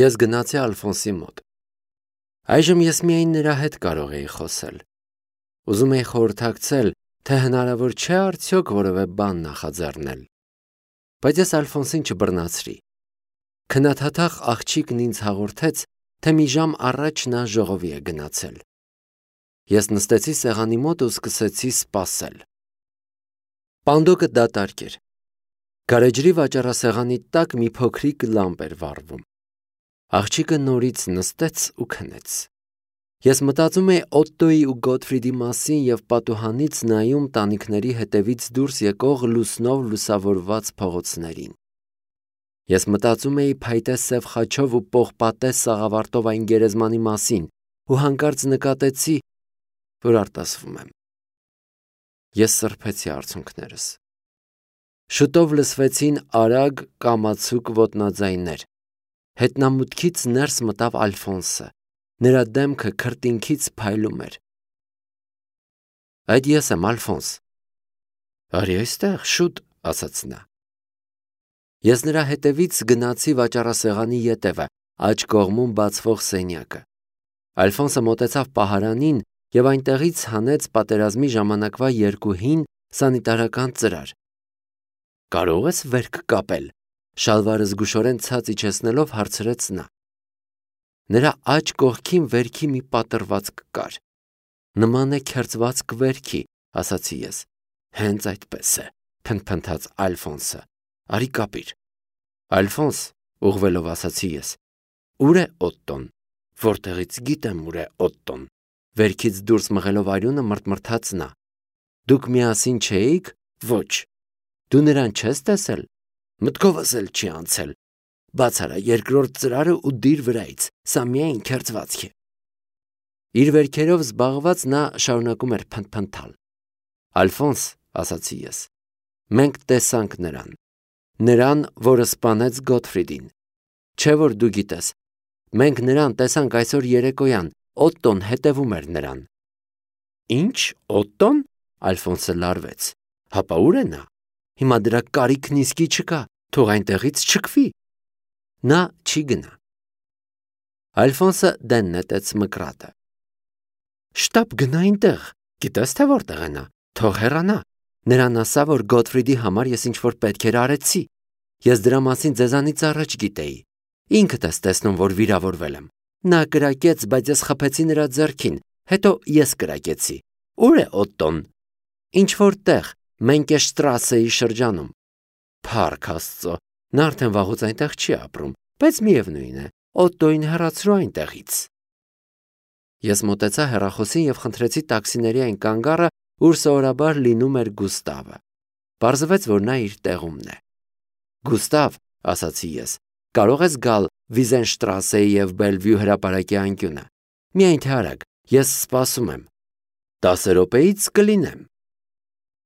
Ես գնացի Ալֆոնսի մոտ։ Այժմ ես միայն նրա հետ կարող էի խոսել։ Ուզում էի խորհրդակցել, թե հնարավոր չէ արդյոք որևէ բան նախաձեռնել։ Բայց ես Ալֆոնսին չբռնացրի։ Քննադատախ աղջիկն ինձ հաղորդեց, թե մի ժամ առաջ նա ժողովի է գնացել։ Ես նստեցի սեղանի մոտ ու սկսեցի սպասել։ Պանդոկը դատարկ էր։ Գարեջրի վաճառասեղանի տակ մի փոքրիկ լամպ էր վառվում։ Աղջիկը նորից նստեց ու քնեց։ Ես մտածում էի Օտտոյի ու Գոթֆրիդի մասին և պատուհանից նայում տանիքների հետևից դուրս եկող լուսնով լուսավորված փողոցներին։ Ես մտածում էի փայտե սև խաչով ու պողպատե սաղավարտով այն գերեզմանի մասին ու հանկարծ նկատեցի, որ արտասվում եմ։ Ես սրբեցի արցունքներս։ Շուտով լսվեցին արագ կամացուկ ոտնաձայներ։ Հետնամուտքից ներս մտավ Ալֆոնսը։ Նրա դեմքը քրտինքից փայլում էր։ Այդ ես եմ, Ալֆոնս։ Արի այստեղ, շուտ, ասաց նա։ Ես նրա հետևից գնացի վաճառասեղանի ետևը, աջ կողմում բացվող սենյակը։ Ալֆոնսը մոտեցավ պահարանին և այնտեղից հանեց պատերազմի ժամանակվա երկու հին սանիտարական ծրար։ Կարո՞ղ ես վերք կապել, շալվարը զգուշորեն ցած իջեցնելով հարցրեց նա։ Նրա աջ կողքին վերքի մի պատռվածք կար։ Նման է քերծված կվերքի, ասացի ես։ Հենց այդպես է, փնթփնթաց Ալֆոնսը։ Արի կապիր։ Ալֆոնս, ուղղվելով ասացի ես։ Ուր է Օտտոն։ Որտեղից գիտեմ ուր է Օտտոն։ Վերքից դուրս մղելով արյունը մռթմռթաց նա։ Դուք միասին չէիք։ Ոչ։ Դու նրան չես տեսել։ Մտքովս էլ չի անցել։ Բաց արա երկրորդ ծրարը ու դիր վրայից, սա միայն քերծվածք է։ Իր վերքերով զբաղված նա շարունակում էր փնթփնթալ։ Ալֆոնս, ասացի ես, մենք տեսանք նրան, որը սպանեց Գոթֆրիդին։ Չէ՞ որ դու գիտես, մենք նրան տեսանք այսօր երեկոյան, Օտտոն հետևում էր նրան։ Ինչ, Օտտոն։ Ալֆոնսը լարվեց։ Հապա ուր է նա։ Հիմա դրա կարիքն իսկի չկա, թող այնտեղից չքվի։ Նա չի գնա։ Ալֆոնսը դեն նետեց մկրատը։ Շտապ գնա այնտեղ, գիտես թե որտեղ է նա, թող հեռանա։ Նրան ասա, որ Գոթֆրիդի համար ես ինչ-որ պետքեր արեցի։ Ես դրա մասին ձեզանից առաջ գիտեի։ Ինքդ ես տեսնում, որ վիրավորվել եմ։ Նա կրակեց, բայց ես խփեցի նրա ձեռքին, հետո ես կրակեցի։ Ուր է Օտտոն։ Ինչ-որ տեղ, Մենկեշտրասեի շրջանում։ Փառք Աստծո, նա արդեն վաղուց այնտեղ չի ապրում, բայց միևնույն է, Օտտոյին հեռացրու այնտեղից։ Ես մոտեցա հեռախոսին և խնդրեցի տաքսիների այն կանգառը, ուր սովորաբար լինում էր Գուստավը։ Պարզվեց, որ նա իր տեղումն է։ Գուստավ, ասացի ես, կարող ես գալ Վիզենշտրասեի և Բելվյու հրապարակի անկյունը։ Միայն թե արագ, ես սպասում եմ։ 10 րոպեից կլինեմ։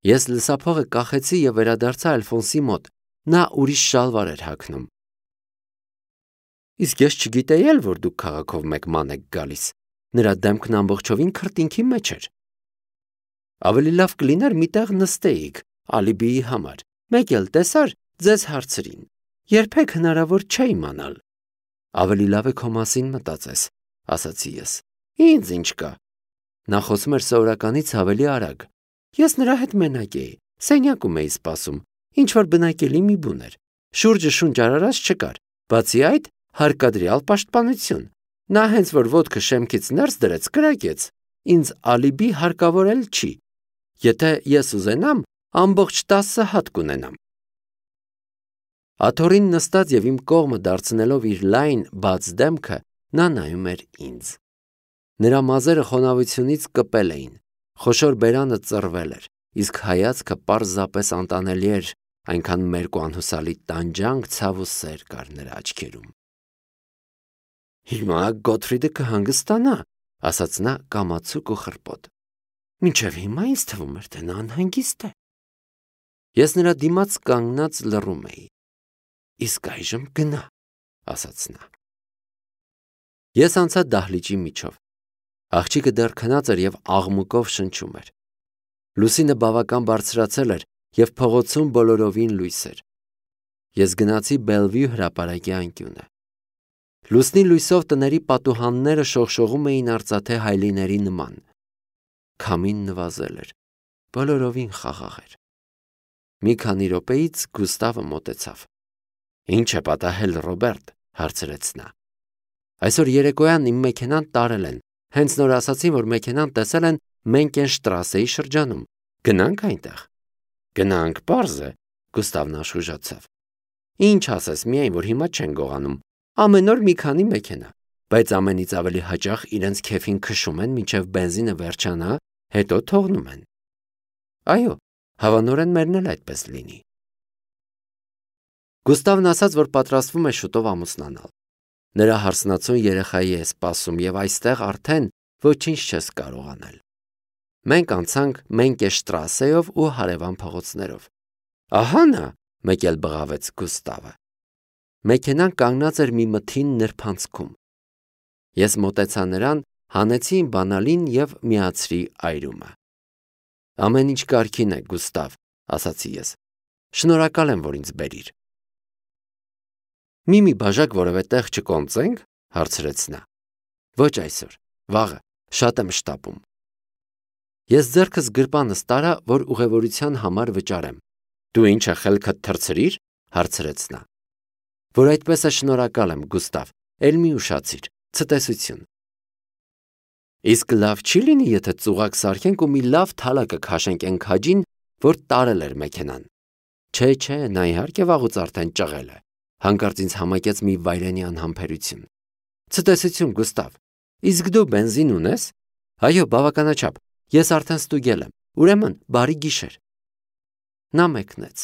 Ես լսափողը կախեցի և վերադարձա Ալֆոնսի մոտ։ Նա ուրիշ շալվար էր հագնում։ Իսկ ես չգիտեի էլ, որ դուք քաղաքով մեկ ման եք գալիս։ Նրա դեմքն ամբողջովին քրտինքի մեջ էր։ Ավելի լավ կլիներ մի տեղ նստեիք, ալիբիի համար։ Մեկ էլ տեսար, ձեզ հարցրին։ Երբեք հնարավոր չէ իմանալ։ Ավելի լավ է քո մասին մտածես, ասացի ես։ Ինձ ինչ կա։ Նա խոսում էր սովորականից ավելի արագ։ Ես նրա հետ մենակ էի, սենյակում էի սպասում, ինչ-որ բնակելի մի բուն էր։ Շուրջը շունչ արարած չկար, բացի այդ հարկադրյալ պաշտպանություն։ Նա հենց որ ոտքը շեմքից ներս դրեց, կրակեց։ Ինձ ալիբի հարկավոր էլ չի։ Եթե ես ուզենամ, ամբողջ 10 հատ կունենամ։ Աթոռին նստած և իմ կողմը դարձնելով իր լայն, բաց դեմքը, նա նայում էր ինձ։ Նրա մազերը խոնավությունից կպել էին, խոշոր բերանը ծռվել էր, իսկ հայացքը պարզապես անտանելի էր, այնքան մերկ ու անհուսալի տանջանք, ցավ ու սեր կար նրա աչքերում։ Հիմա Գոթֆրիդը կհանգստանա, ասաց նա կամացուկ ու խռպոտ։ Մինչև հիմա ինձ թվում էր, թե նա անհանգիստ է։ Ես նրա դիմաց կանգնած լռում էի։ Իսկ այժմ գնա, ասաց նա։ Ես անցա դահլիճի միջով։ Աղջիկը դեռ քնած էր և աղմուկով շնչում էր։ Լուսինը բավական բարձրացել էր և փողոցում բոլորովին լույս էր։ Ես գնացի Բելվյու հրապարակի անկյունը։ Լուսնի լույսով տների պատուհանները շողշողում էին արծաթե հայլիների նման։ Քամին նվազել էր, բոլորովին խաղաղ էր։ Մի քանի րոպեից Գուստավը մոտեցավ։ «Ինչ է պատահել, Ռոբերտ», հարցրեց նա։ «Այսօր երեկոյան իմ մեքենան տարել են։ Հենց նոր ասացին, որ մեքենան տեսել են Մենկենշտրասեի շրջանում։ Գնանք այնտեղ»։ «Գնանք, պարզ է», Գուստավն աշխուժացավ։ «Ինչ ասես, միայն որ հիմա չեն գողանում։ Ամեն օր մի քանի մեքենա, բայց ամենից ավելի հաճախ իրենց քեֆին քշում են, մինչև բենզինը վերջանա, հետո թողնում են»։ «Այո, հավանորեն մերն էլ այդպես լինի»։ Գուստավն ասաց, որ պատրաստվում է շուտով ամուսնանալ։ Նրա հարսնացուն երեխայի է սպասում և այստեղ արդեն ոչինչ չես կարող անել։ Մենք անցանք Մենկենշտրասեով ու հարևան փողոցներով։ «Ահա նա», մեկ էլ բղավեց Գուստավը։ Մեքենան կանգնած էր մի մթին նրբանցքում։ Ես մոտեցա նրան, հանեցի իմ բանալին և միացրի այրումը։ «Ամեն ինչ կարգին է, Գուստավ», ասացի ես։ «Շնորհակալ եմ, որ ինձ բերիր»։ Մի բաժակ որևէ տեղ չկոնծե՞նք, հարցրեց նա։ «Ոչ այսօր, վաղը, շատ եմ շտապում»։ Ես ձեռքս գրպանս տարա, որ ուղևորության համար վճարեմ։ «Դու ինչը խելքդ թռցրիր», հարցրեց նա։ «Որ այդպես է, շնորհակալ եմ, Գուստավ, էլ մի ուշացիր, ցտեսություն»։ «Իսկ լավ չի լինի, եթե ծուղակ սարքենք ու մի լավ թալակը քաշենք այն քաջին, որ տարել էր մեքենան»։ Չէ, նա իհարկե վաղուց արդեն ճղել է, հանկարծ ինձ համակեց մի վայրենի անհամբերություն։ «Ցտեսություն, Գուստավ, իսկ դու բենզին ունես»։ «Այո, բավականաչափ, ես արդեն ստուգել եմ, ուրեմն բարի գիշեր»։ Նա մեկնեց։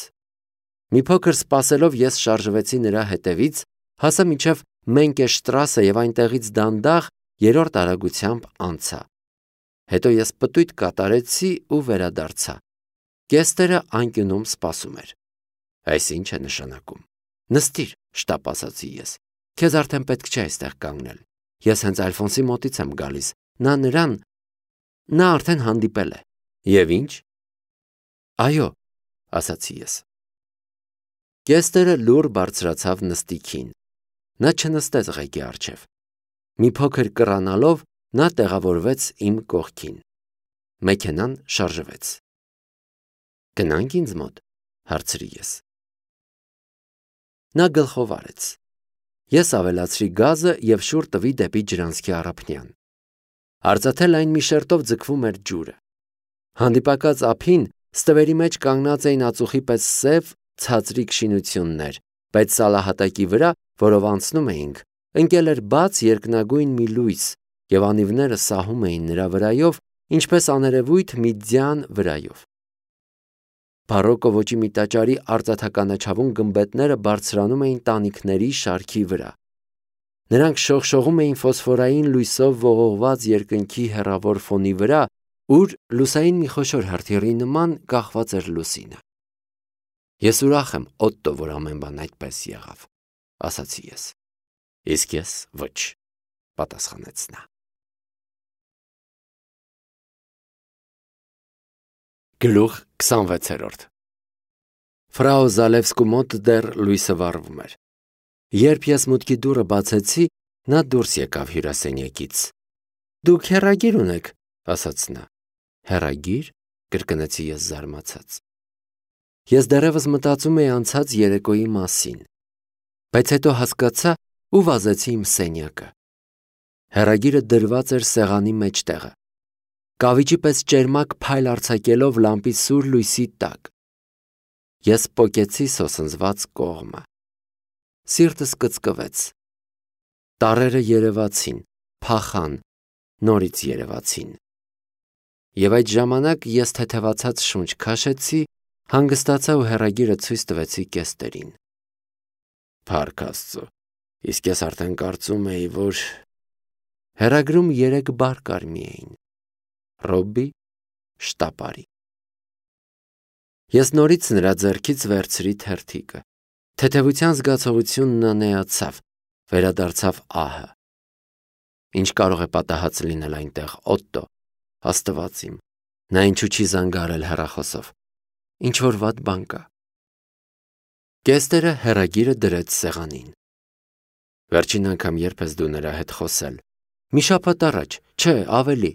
Մի փոքր սպասելով ես շարժվեցի նրա հետևից, հասա մինչև Մենկենշտրասը և այնտեղից դանդաղ երրորդ արագությամբ անցա։ Հետո ես պտույտ կատարեցի ու վերադարձա։ Կեստերը անկյունում սպասում էր։ «Այս ինչ է նշանակում»։ «Նստիր», շտապ ասացի ես։ «Քեզ արդեն պետք չէ այստեղ կանգնել։ Ես հենց Ալֆոնսի մոտից եմ գալիս։ Նա արդեն հանդիպել է»։ «Եվ ինչ»։ «Այո», ասացի ես։ Կեստերը լուռ բարձրացավ նստիքին։ Նա չնստեց ղեկի առջև։ Մի փոքր կռանալով նա տեղավորվեց իմ կողքին։ Մեքենան շարժվեց։ «Գնանք ինձ մոտ», հարցրի ես։ Նա գլխով արեց։ Ես ավելացրի գազը և շուռ տվի դեպի ջրանցքի առափնյան։ Արծաթե լայն մի շերտով ձգվում էր ջուրը։ Հանդիպակաց ափին ստվերի մեջ կանգնած էին ածուխի պես սև, ցածրիկ շինություններ, բայց սալահատակի վրա, որով անցնում էինք, ընկել էր բաց երկնագույն մի լույս, և անիվները սահում էին նրա վրայով, ինչպես աներևույթ մի ձյան վրայով։ Բարոկկո ոճի մի տաճարի արծաթականաչավուն գմբեթները բարձրանում էին տանիքների շարքի վրա։ Նրանք շողշողում էին ֆոսֆորային լույսով ողողված երկնքի հեռավոր ֆոնի վրա, ուր լուսային մի խոշոր հրթիռի նման կախված էր լուսինը։ «Ես ուրախ եմ, Օտտո, որ ամեն բան այդպես եղավ», ասացի ես։ «Իսկ ես ոչ», պատասխանեց նա։ Գլուխ 26 Ֆրау Զալևսկու մոտ դեռ լույսը վառվում էր։ Երբ ես մուտքի դուռը բացեցի, նա դուրս եկավ հյուրասենյակից։ «Դուք հեռագիր ունեք», ասաց նա։ «Հեռագիր», կրկնեցի ես զարմացած։ Ես դեռևս մտածում էի անցած երեկոյի մասին, բայց հետո հասկացա ու վազեցի իմ սենյակը։ Հեռագիրը դրված էր սեղանի մեջտեղը, կավիճի պես ճերմակ փայլ արձակելով լամպի սուր լույսի տակ։ Ես պոկեցի սոսնձված կողմը։ Սիրտս կծկվեց։ Տառերը երևացին, փախան, նորից երևացին։ Եվ այդ ժամանակ ես թեթևացած շունչ քաշեցի, հանգստացա ու հեռագիրը ցույց տվեցի կեստերին։ Փառք Աստծո, իսկ ես արդեն կարծում էի, որ… Հեռագրում 3 բառ կար միայն. Ռոբբի Շտապարի։ Ես նորից նրա ձեռքից վերցրի թերթիկը։ Թեթևության զգացողությունն անեացավ, վերադարձավ ահը։ Ինչ կարող է պատահած լինել այնտեղ, Օտտո, Աստված իմ, նա ինչու չի զանգարել հեռախոսով։ Ինչ-որ վատ բան կա։ Կեստերը հեռագիրը դրեց սեղանին։ Վերջին անգամ երբ ես դու նրա հետ խոսել։ Մի շաբաթ առաջ, չէ, ավելի։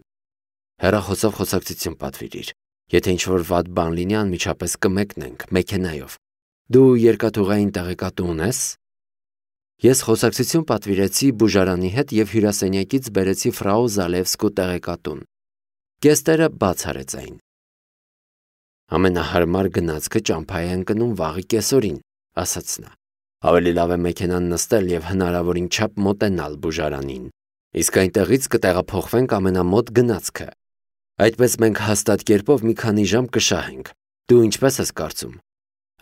Հեռախոսով խոսակցություն պատվիրիր։ Եթե ինչ-որ վատ բան լինի, անմիջապես կմեկնենք մեքենայով։ Դու երկաթուղային տեղեկատու ունես։ Ես խոսակցություն պատվիրեցի բուժարանի հետ և հյուրասենյակից բերեցի ֆրау Զալևսկու տեղեկատուն։ Կեստերը բաց արեց այն։ Ամենահարմար գնացքը ճամփա է ընկնում վաղի կեսօրին, ասաց նա։ Ավելի լավ է մեքենան նստել և հնարավորին չափ մոտենալ բուժարանին։ Իսկ այնտեղից կտեղափոխվենք ամենամոտ գնացքը։ Այդպես մենք հաստատ կերպով մի քանի ժամ կշահենք։ Դու ինչպես ես կարծում։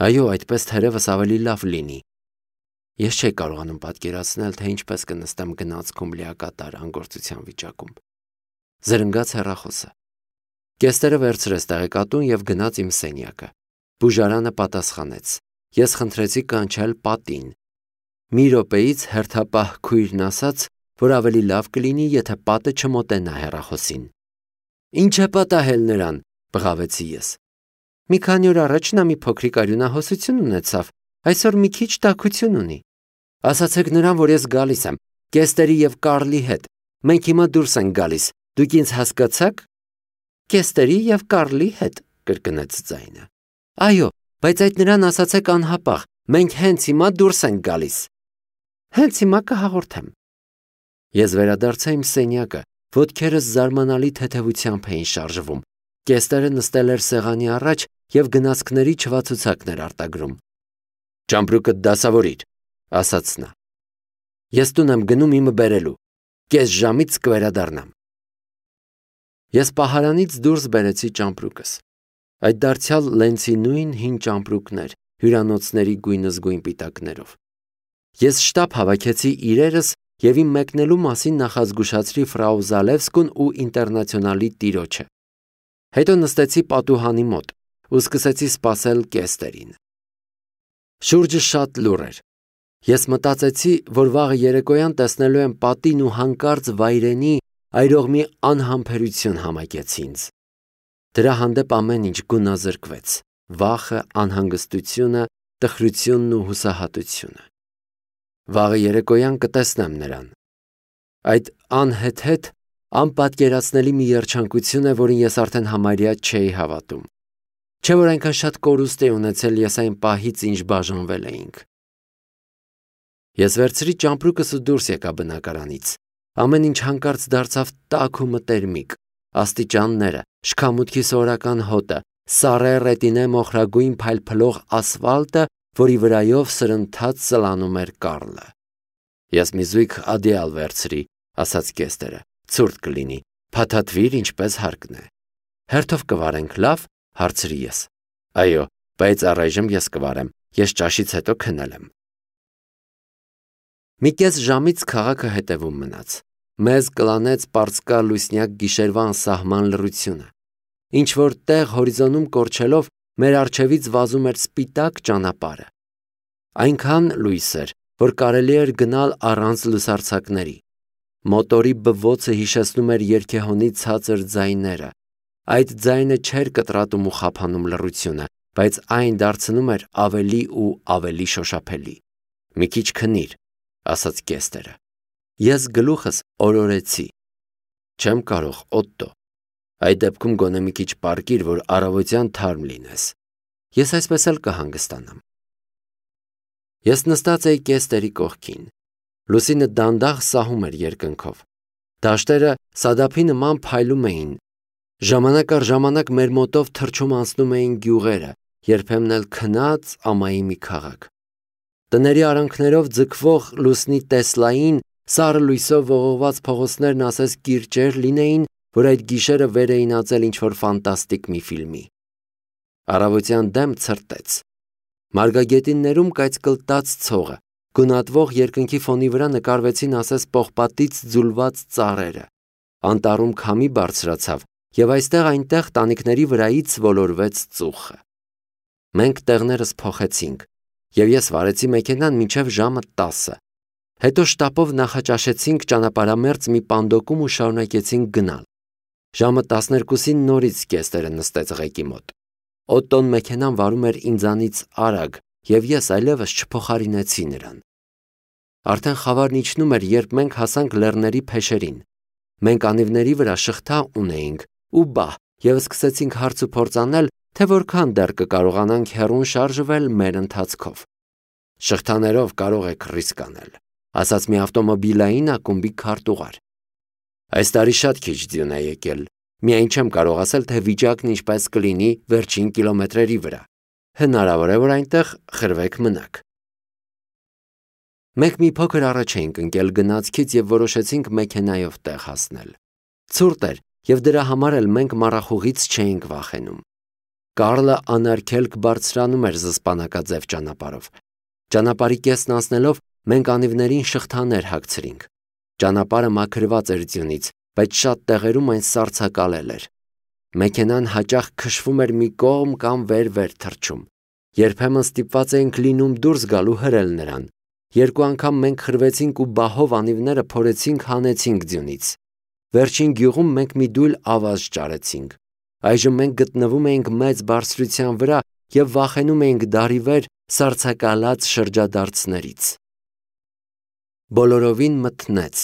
Այո, այդպես թերևս ավելի լավ լինի։ Ես չէի կարողանում պատկերացնել, թե ինչպես կնստեմ գնացքում լիակատար անգործության վիճակում։ Զրնգաց հեռախոսը։ Կեստերը վերցրեց տեղեկատուն և գնաց իմ սենյակը։ Բուժարանը պատասխանեց։ Ես խնդրեցի կանչել պատին։ Մի րոպեից հերթապահ քույրն ասաց, որ ավելի լավ կլինի, եթե պատը չմոտենա հեռախոսին։ Ինչ է պատահել նրան, բղավեցի ես։ Մի քանի օր առաջ նա մի փոքրիկ արյունահոսություն ունեցավ, այսօր մի քիչ տաքություն ունի։ Ասացեք նրան, որ ես գալիս եմ, Կեստերի և Կարլի հետ։ Մենք հիմա դուրս ենք գալիս, դուք ինձ հասկացա՞ք։ Կեստերի և Կարլի հետ, կրկնեց ձայնը։ Այո, բայց այդ նրան ասացեք անհապաղ, մենք հենց հիմա դուրս ենք գալիս։ Հենց հիմա կհաղորդեմ։ Ես վերադարձա իմ սենյակը, ոտքերս զարմանալի թեթևությամբ էին շարժվում։ Կեստերը նստել էր սեղանի առաջ և գնացքների չվացուցակներ արտագրում։ Ճամպրուկը դասավորիր, ասաց նա։ Ես տուն եմ գնում իմը բերելու։ Կես ժամից կվերադառնամ։ Ես պահարանից դուրս բերեցի ճամպրուկս։ Այդ դարձյալ Լենցի նույն հին ճամպրուկներ, հյուրանոցների գույնզգույն պիտակներով։ Ես շտապ հավաքեցի իրերս և իմ մեկնելու մասին նախազգուշացրի ֆրау Զալևսկուն ու ինտերնացիոնալի տիրոջը։ Հետո նստեցի պատուհանի մոտ ու սկսեցի սպասել Կեստերին։ Շուրջը շատ լուռ էր։ Ես մտածեցի, որ վաղը երեկոյան տեսնելու եմ պատին ու հանկարծ վայրենի այրող մի անհամբերություն համակեց ինձ։ Դրա հանդեպ ամեն ինչ գունազրկվեց՝ վախը, անհանգստությունը, տխրությունն ու հուսահատությունը։ Վաղը երեկոյան կտեսնեմ նրան։ Այդ անհեթեթ, անպատկերացնելի մի երջանկություն է, որին ես արդեն համարյա չէի հավատում։ Չէ՞ որ այնքան շատ կորուստ էի ունեցել ես այն պահից, ինչ բաժանվել էինք։ Ես վերցրի ճամպրուկս ու դուրս եկա բնակարանից։ Ամեն ինչ հանկարծ դարձավ տաք ու մտերմիկ։ Աստիճանները, շքամուտքի սովորական հոտը, սառե ռետինե մոխրագույն փայլփլող ասֆալտը, որի վրայով սրընթաց սլանում էր Կարլը։ Ես մի զույգ ադեալ վերցրի, ասաց Կեստերը, ցուրտ կլինի, փաթաթվիր ինչպես հարկն է։ Հերթով կվարենք, լավ, հարցրի ես։ Այո, բայց առայժմ ես կվարեմ, ես ճաշից հետո քնել եմ։ Մի կես ժամից քաղաքը հետևում մնաց։ Մեզ կլանեց պարծկա լուսնյակ գիշերվա անսահման լռությունը։ Ինչ-որ տեղ հորիզոնում կորչելով մեր առջևից վազում էր սպիտակ ճանապարհը։ Այնքան լույս էր, որ կարելի էր գնալ առանց լուսարձակների։ Մոտորի բվոցը հիշեցնում էր երգեհոնի ցածր ձայները։ Այդ ձայնը չէր կտրատում ու խափանում լռությունը, բայց այն դարձնում էր ավելի ու ավելի շոշափելի։ Մի քիչ քնիր, ասաց Կեստերը։ Ես գլուխս օրորեցի։ Չեմ կարող, Օտտո։ Այդ դեպքում գոնե մի քիչ պառկիր, որ առավոտյան թարմ լինես։ Ես այսպես էլ կհանգստանամ։ Ես նստած էի Կեստերի կողքին։ Լուսինը դանդաղ սահում էր երկնքով։ Դաշտերը սադափի նման փայլում էին։ Ժամանակ առ ժամանակ մեր մոտով թռչում անցնում էին գյուղերը, երբեմն էլ քնած ամայի մի քաղաք։ Տների արանքներով ձգվող լուսնի տեսլային, սառը լույսով ողողված փողոցներն ասես կիրճեր լինեին, որ այդ գիշերը վեր էին ածել ինչ-որ ֆանտաստիկ մի ֆիլմի։ Առավոտյան դեմ ցրտեց։ Մարգագետիններում կայծկլտած ցողը, գունատվող երկնքի ֆոնի վրա նկարվեցին ասես պողպատից ձուլված ծառերը։ Անտառում քամի բարձրացավ, և այստեղ-այնտեղ տանիքների վրայից ոլորվեց ծուխը։ Մենք տեղներս փոխեցինք, և ես վարեցի մեքենան մինչև ժամը 10։ Հետո շտապով նախաճաշեցինք ճանապարհամերձ մի պանդոկում ու շարունակեցինք գնալ։ Ժամը 12-ին նորից Կեստերը նստեց ղեկի մոտ։ Օտտոն մեքենան վարում էր ինձանից արագ, և ես այլևս չփոխարինեցի նրան։ Արդեն խավարն իջնում էր, երբ մենք հասանք լեռների փեշերին։ Մենք անիվների վրա շղթա ունեինք ու բահ և սկսեցինք հարց ու փորձ անել, թե որքան դեռ կկարողանանք հեռուն շարժվել մեր ընթացքով։ Շղթաներով կարող եք ռիսկ անել, ասաց մի ավտոմոբիլային ակումբի քարտուղար։ Այս տարի շատ քիչ ձյուն է եկել, միայն չեմ կարող ասել, թե վիճակն ինչպես կլինի վերջին կիլոմետրերի վրա։ Հնարավոր է, որ այնտեղ խրվեք մնաք։ Մենք մի փոքր առաջ էինք ընկել գնացքից և որոշեցինք մեքենայով տեղ հասնել։ Ցուրտ էր, և դրա համար էլ մենք մառախուղից չէինք վախենում։ Կարլը անարգելք բարձրանում էր զսպանակաձև ճանապարհով։ Ճանապարհի կեսն անցնելով մենք անիվներին շղթաներ հագցրինք։ Ճանապարհը մաքրված էր ձյունից, բայց շատ տեղերում այն սառցակալել էր։ Մեքենան հաճախ քշվում էր մի կողմ կամ վեր թռչում։ Երբեմն ստիպված էինք լինում դուրս գալ ու հրել նրան։ Երկու անգամ մենք խրվեցինք ու բահով անիվները փորեցինք հանեցինք ձյունից։ Վերջին գյուղում մենք մի դույլ ավազ ճարեցինք։ Այժմ մենք գտնվում էինք մեծ բարձրության վրա և վախենում էինք դարիվեր սառցակալած շրջադարձներից։ Բոլորովին մթնեց։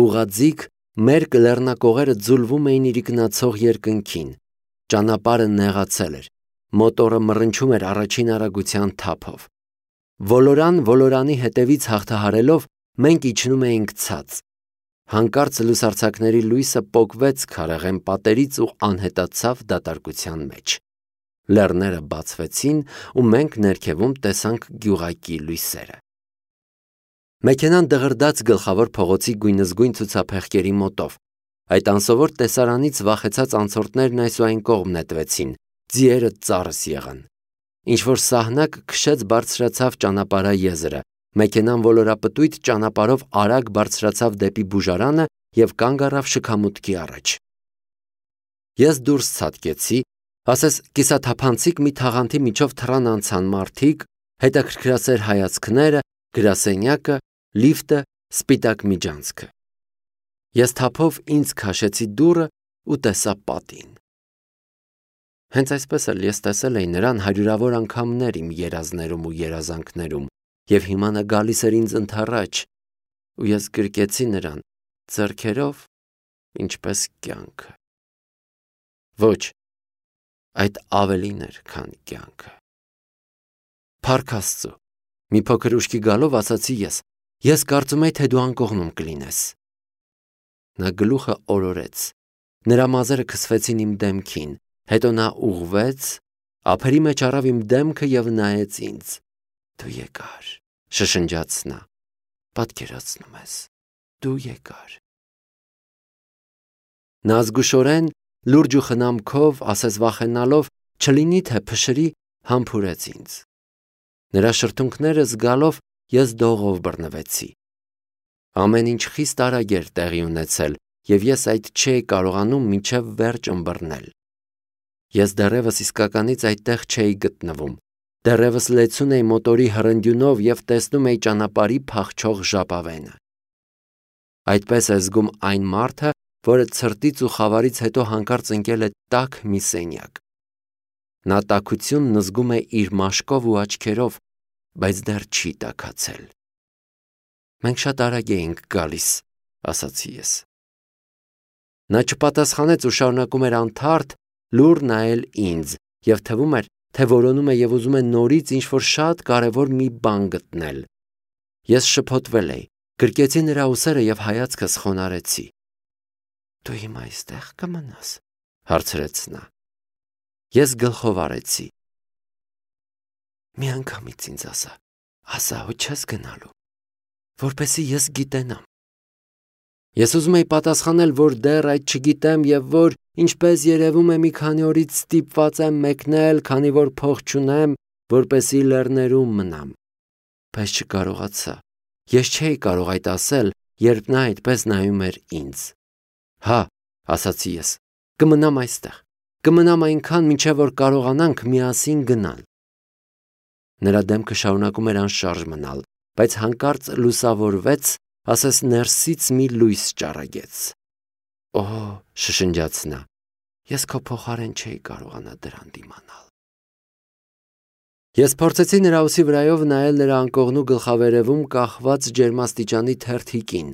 Ուղղաձիգ մերկ լեռնակողերը ձուլվում էին իրիկնացող երկնքին։ Ճանապարհը նեղացել էր։ Մոտորը մռնչում էր առաջին արագության թափով։ Ոլորանի հետևից հաղթահարելով մենք իջնում էինք ցած։ Հանկարծ լուսարձակների լույսը պոկվեց քարեղեն պատերից ու անհետացավ դատարկության մեջ։ Լեռները բացվեցին ու մենք ներքևում տեսանք գյուղակի լույսերը։ Մեքենան դղրդաց գլխավոր փողոցի գույնզգույն ցուցափեղկերի մոտով։ Այդ անսովոր տեսարանից վախեցած անցորդներն այսուայն կողմ նետվեցին, ձիերը ծառս եղան։ Ինչ-որ սահնակ քշեց բարձրացավ ճանապարհաեզրը, մեքենան ոլորապտույտ ճանապարհով արագ բարձրացավ դեպի բուժարանը և կանգ առավ շքամուտքի առաջ։ Ես դուրս ցատկեցի, ասես կիսաթափանցիկ մի թաղանթի միջով թռան անցան մարդիկ, հետաքրքրասեր հայացքները, գրասենյակը, լիֆտը, սպիտակ միջանցքը։ Ես թափով ինձ քաշեցի դուռը ու տեսա պատին։ Հենց այսպես էլ ես տեսել էի նրան հարյուրավոր անգամներ իմ երազներում ու երազանքներում, և հիմա նա գալիս էր ինձ ընդառաջ, ու ես գրկեցի նրան ձեռքերով, ինչպես կյանքը։ Ոչ, այդ ավելին էր, քան կյանքը։ Փառք Աստծո, մի փոքր ուշքի գալով ասացի ես կարծում էի, թե դու անկողնում կլինես։ Նա գլուխը օրորեց, նրա մազերը քսվեցին իմ դեմքին, հետո նա ուղղվեց, ափերի մեջ առավ իմ դեմքը և նայեց ինձ։ Դու եկար, շշնջաց նա, պատկերացնում ես, դու եկար։ Նա զգուշորեն, լուրջ ու խնամքով, ասես վախենալով, չլինի թե փշրի, համբուրեց ինձ։ Նրա շրթունքները զգալով ես դողով բռնվեցի։ Ամեն ինչ խիստ արագ էր տեղի ունեցել, և ես այդ չէի կարողանում մինչև վերջ ըմբռնել։ Ես դեռևս իսկականից այդտեղ չէի գտնվում, դեռևս լեցուն էի մոտորի հրնդյունով և տեսնում էի ճանապարհի փախչող ժապավենը։ Այդպես է զգում այն մարդը, որը ցրտից ու խավարից հետո հանկարծ ընկել է տաք մի սենյակ։ Նա տաքությունն զգում է իր մաշկով ու աչքերով, բայց դեռ չի տաքացել։ Մենք շատ արագ էինք գալիս, ասացի ես։ Նա չպատասխանեց ու շարունակում էր անթարթ լուռ նայել ինձ, և թվում էր, թե որոնում է և ուզում է նորից ինչ-որ շատ կարևոր մի բան գտնել։ Ես շփոթվել էի, գրկեցի նրա ուսերը և հայացքս խոնարհեցի։ Դու հիմա այստեղ կմնաս, հարցրեց նա։ Ես գլխով արեցի։ Մի անգամից ինձ ասա, ու չես գնալու, որպեսզի ես գիտենամ։ Ես ուզում էի պատասխանել, որ դեռ այդ չգիտեմ և որ, ինչպես երևում է, մի քանի օրից ստիպված եմ մեկնել, քանի որ փող չունեմ, որպեսզի լեռներում մնամ։ Բայց չկարողացա։ Ես չէի կարող այդ ասել, երբ նա այդպես նայում էր ինձ։ Հա, ասացի ես, կմնամ այստեղ, կմնամ այնքան, մինչև որ կարողանանք միասին գնալ։ Նրա դեմքը շարունակում էր անշարժ մնալ, բայց հանկարծ լուսավորվեց, ասես ներսից մի լույս ճառագեց։ Օհ, շշնջաց նա, ես քո փոխարեն չէի կարողանա դրան դիմանալ։ Ես փորձեցի նրա ուսի վրայով նայել նրա անկողնու գլխավերևում կախված ջերմաստիճանի թերթիկին։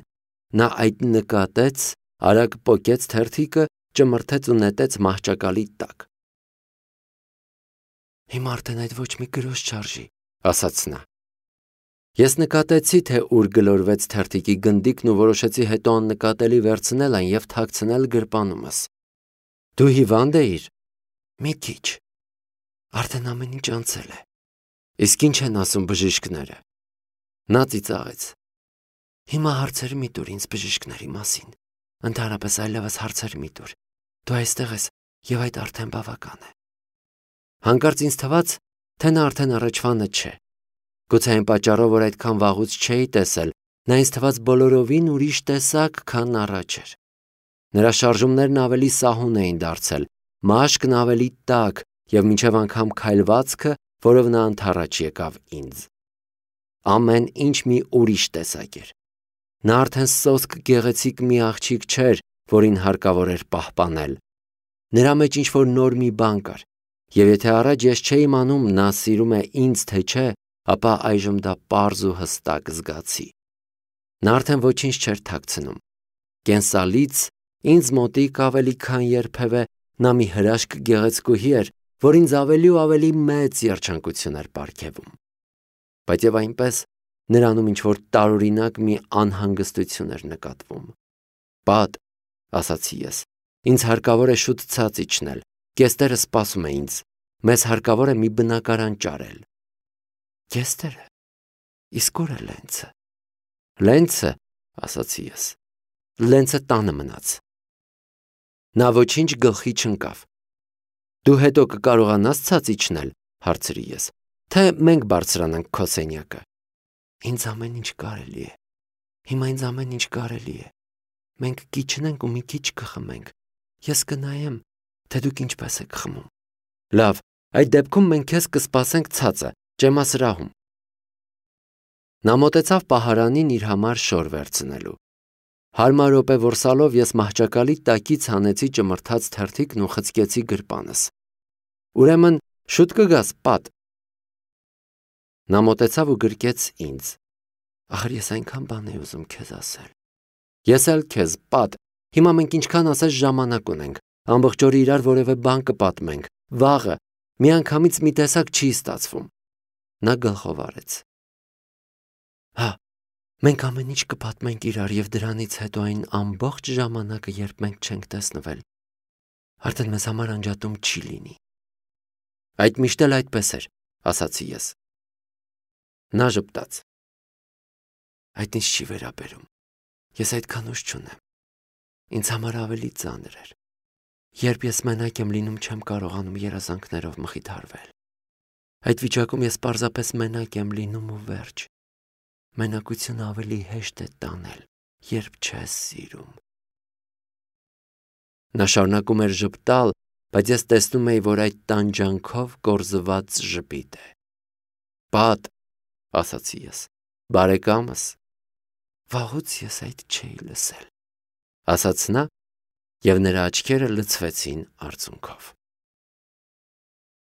Նա այդ նկատեց, արագ պոկեց թերթիկը, ճմրթեց ու նետեց մահճակալի տակ։ Հիմա արդեն այդ ոչ մի գրոշ չարժի, ասաց նա։ Ես նկատեցի, թե ուր գլորվեց թերթիկի գնդիկն ու որոշեցի հետո աննկատելի վերցնել այն և թաքցնել գրպանումս։ Դու հիվանդ էիր։ Մի քիչ։ Արդեն ամեն ինչ անցել է։ Իսկ ինչ են ասում բժիշկները։ Նա ծիծաղեց։ Հիմա հարցեր մի տուր ինձ բժիշկների մասին։ Ընդհանրապես այլևս հարցեր մի տուր։ Դու այստեղ ես և այդ արդեն բավական է։ Հանկարծ ինձ թվաց, թե նա արդեն առաջվանը չէ։ Գուցե այն պատճառով, որ այդքան վաղուց չէի տեսել, նա ինձ թվաց բոլորովին ուրիշ տեսակ, քան առաջ էր։ Նրա շարժումներն ավելի սահուն էին դարձել, մաշկն ավելի տաք և մինչև անգամ քայլվածքը, որով նա ընդառաջ եկավ ինձ։ Ամեն ինչ մի ուրիշ տեսակ էր։ Նա արդեն սոսկ գեղեցիկ մի աղջիկ չէր, որին հարկավոր էր պահպանել։ Նրա մեջ ինչ-որ նոր մի բան կար, և եթե առաջ ես չէի իմանում նա սիրում է ինձ, թե չէ, ապա այժմ դա պարզ ու հստակ զգացի։ Նա արդեն ոչինչ չէր թաքցնում։ Կենսալից ինձ մոտիկ ավելի քան երբևէ նա մի հրաշք գեղեցկուհի էր, որ ինձ ավելի ու ավելի մեծ երջանկություն էր պարգևում։ Բայց և այնպես նրանում ինչ-որ տարօրինակ մի անհանգստություն էր նկատվում։ Պատ, ասացի ես, ինձ հարկավոր է շուտ ցած իջնել, կեստերը սպասում է ինձ, մեզ հարկավոր է մի բնակարան ճարել։ Կեստերը, իսկ ուր է Լենցը։ Լենցը, ասացի ես, Լենցը տանը մնաց։ Նա ոչինչ գլխի չընկավ։ Դու հետո կկարողանաս ցած իջնել, հարցրի ես, թե մենք բարձրանանք քո սենյակը։ Ինձ ամեն ինչ կարելի է։ Հիմա ինձ ամեն ինչ կարելի է։ Մենք կիջնենք ու մի քիչ կխմենք։ Ես կնայեմ, թե դուք ինչպես եք խմում։ Լավ, այդ դեպքում մենք քեզ կսպասենք ցածը, ջեմասրահում։ Նա մոտեցավ պահարանին իր համար շոր վերցնելու։ Հարմար րոպե որսալով ես մահճակալի տակից հանեցի ճմրթած թերթիկն ու խցկեցի գրպանս։ Ուրեմն շուտ կգաս, Պատ։ Նա մոտեցավ ու գրկեց ինձ։ Ախր ես այնքան բան էի ուզում քեզ ասել։ Ես էլ քեզ, Պատ։ Հիմա մենք ինչքան ասես ժամանակ ունենք։ Ամբողջ օրը իրար որևէ բան կպատմենք։ Վաղը միանգամից մի տեսակ չի ստացվում։ Նա գլխով արեց։ Հա, մենք ամեն ինչ կպատմենք իրար և դրանից հետո այն ամբողջ ժամանակը, երբ մենք չենք տեսնվել, արդեն մեզ համար անջատում չի լինի։ Այդ միշտ էլ այդպես էր, ասացի ես։ Նա ժպտաց։ Այդ ինձ չի վերաբերում։ Ես այդքան ուժ չունեմ։ Ինձ համար ավելի ծանր էր։ Երբ ես մենակ եմ լինում, չեմ կարողանում երազանքներով մխիթարվել։ Այդ վիճակում ես պարզապես մենակ եմ լինում ու վերջ։ Մենակությունը ավելի հեշտ է տանել, երբ չես սիրում։ Նա շարունակում էր ժպտալ, բայց ես տեսնում էի, որ այդ տանջանքով կորզված ժպիտ է։ Պատ, ասացի ես, բարեկամս։ Վաղուց ես այդ չէի լսել, ասաց նա, և նրա աչքերը լցվեցին արցունքով։